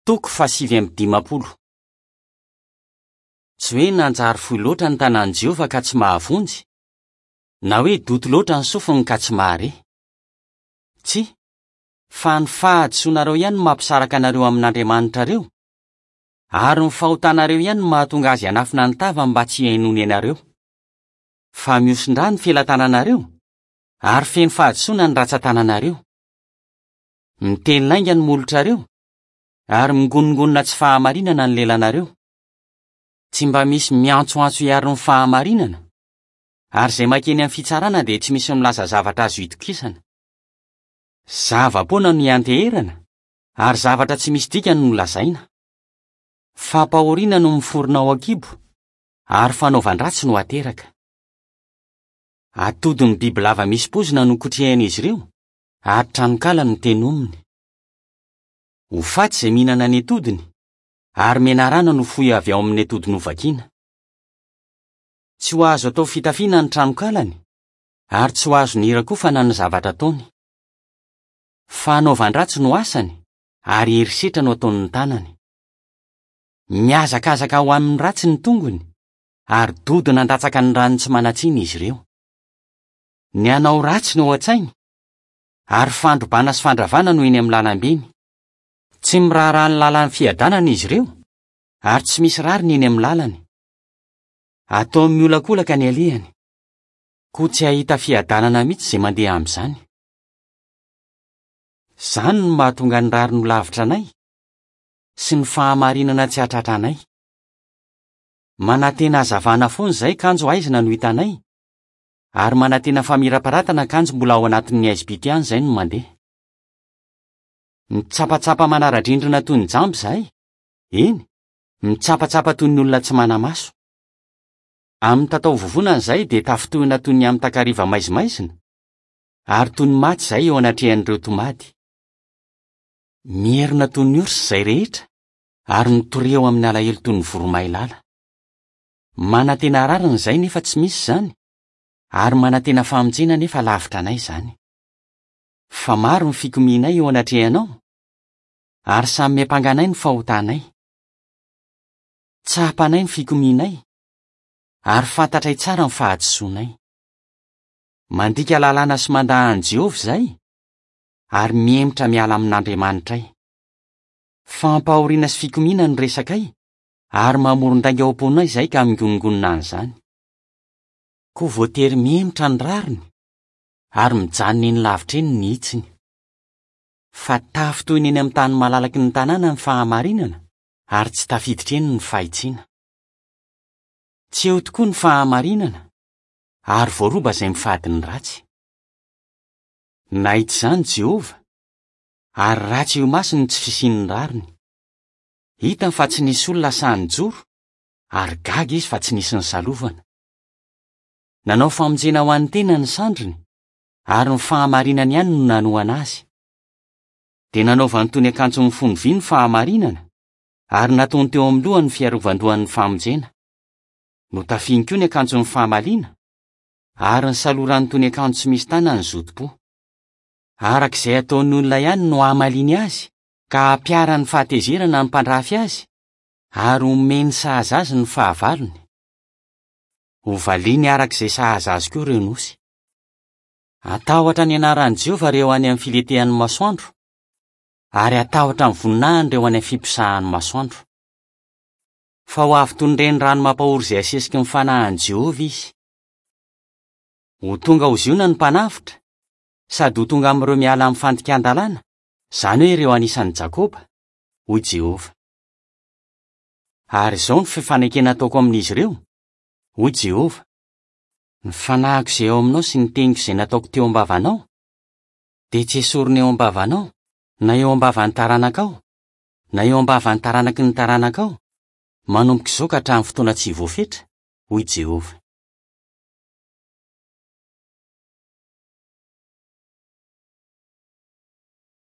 Toko faha-59. Tsy hoe nanjary fohy loatra ny tanan'i Jehovah ka tsy mahavonjy, na hoe doto loatra ny sofiny ka tsy mahare. Tsia, fa ny fahadisoanareo ihany no mampisaraka anareo amin'Andriamanitrareo, ary ny fahotanareo ihany no mahatonga azy hanafina ny tavany mba tsy hihainoany anareo. Fa mihosin-drà ny felatananareo, ary feno fahadisoana ny ratsan-tananareo. Miteny lainga ny molotrareo, ary mingonongonona tsy fahamarinana ny lelanareo. Tsy mba misy miantsoantso hiaro ny fahamarinana, ary izay mankeny amin'ny fitsarana dia tsy misy milaza zavatra azo itokisana. Zava-poana no ianteherana, ary zavatra tsy misy dikany no lazaina. Fampahoriana no miforona ao an-kibo, ary fanaovan-dratsy no ateraka. Atodin'ny bibilava misy poizina no kotrehin'izy ireo, ary tranonkala no tenominy. Ho faty izay mihinana ny atodiny, ary menarana no foy avy ao amin'ny atody novakiana. Tsy ho azo atao fitafiana ny tranonkalany, ary tsy ho azo nirakofana ny zavatra ataony. Fanaovan-dratsy no asany, ary herisetra no ataon'ny tanany. Mihazakazaka ho amin'ny ratsy ny tongony, ary dodona handatsaka ny ran'ny tsy manan-tsiny izy ireo. Ny hanao ratsy no ao an-tsainy, ary fandrobana sy fandravana no eny amin'ny lalam-beny. Tsy miraharaha ny lalan'ny fiadanana izy ireo, ary tsy misy rariny eny amin'ny lalany. Ataony miolakolaka ny alehany. Koa tsy hahita fiadanana mihitsy izay mandeha amin'izany. Izany no mahatonga ny rariny ho lavitra anay, sy ny fahamarinana tsy hahatratra anay. Manantena hazavana foana izahay kanjo haizina no hitanay, ary manantena famirapiratana kanjo mbola ao anatin'ny haizim-pito ihany izay no mandeha. Mitsapatsapa manara-drindrina toy ny jamba izahay, eny, mitsapatsapa toy ny olona tsy mana-maso. Amin'ny tatao vovonana izahay dia tafintohina toy ny amin'ny takariva maizimaizina, ary toy ny maty izahay eo anatrehan'ireo tomady. Mierona toy ny orsa izay rehetra, ary mitoreo amin'ny alahelo toy ny voromailala. Manantena rariny izahay nefa tsy misy izany, ary manantena famonjena nefa lavitra anay izany. Fa maro ny fikomianay eo anatrehanao, ary samy miampanga anay ny fahotanay. Tsapanay ny fikomianay, ary fantatray tsara ny fahadisoanay. Mandika lalàna sy mandà an'i Jehovah izahay, ary mihemotra miala amin'Andriamanitray. Fampahoriana sy fikomiana no resakay, ary mamoron-dainga ao am-ponay izahay ka mingonongonona an'izany. Koa voatery mihemotra ny rariny, ary mijanona eny lavitra eny ny hitsiny. Fa tafintohina eny amin'ny tany malalaky ny tanàna ny fahamarinana, ary tsy tafiditra eny ny fahitsiana. Tsy eo tokoa ny fahamarinana, ary voaroba izay mifady ny ratsy. Nahita izany Jehovah, ary ratsy eo imasony ny tsy fisian'ny rariny. Hitany fa tsy nisy olona sahy nijoro, ary gaga izy fa tsy nisy nisalovana. Nanao famonjena ho an'ny tenany ny sandriny, ary ny fahamarinany ihany no nanohana azy. Dia nanaovany toy ny akanjo mifono vy ny fahamarinana, ary nataony teo amin'ny lohany ny fiarovan-dohan'ny famonjena. Notafiany koa ny akanjon'ny fahamaliana, ary nisalorany toy ny akanjo tsy misy tanany ny zotom-po. Araka izay ataon'ny olona ihany no hamaliany azy, ka hampiharany fahatezerana ny mpandrafy azy, ary homeny sahaza azy ny fahavalony. Hovaliany araka izay sahaza azy koa ireo nosy. Hatahotra ny anaran'i Jehovah ireo any amin'ny filentehan'ny masoandro, ary hatahotra ny voninahiny ireo any amin'ny fiposahan'ny masoandro. Fa ho avy toy ny renirano mampahory izay asesiky ny fanahin'i Jehovah izy. Ho tonga ao Ziona ny mpanavotra, sady ho tonga amin'ireo miala amin'ny fandikan-dalàna, izany hoe ireo anisan'i Jakoba, hoy Jehovah. Ary izao no fifanekena ataoko amin'izy ireo, hoy Jehovah, Ny fanahiko izay ao aminao sy ny teniko izay nataoko teo am-bavanao, dia tsy hesorina eo am-bavanao, na eo am-bavan'ny taranakao, na eo am-bavan'ny taranaky ny taranakao, manomboka izao ka hatramin'ny fotoana tsy voafetra, hoy Jehovah.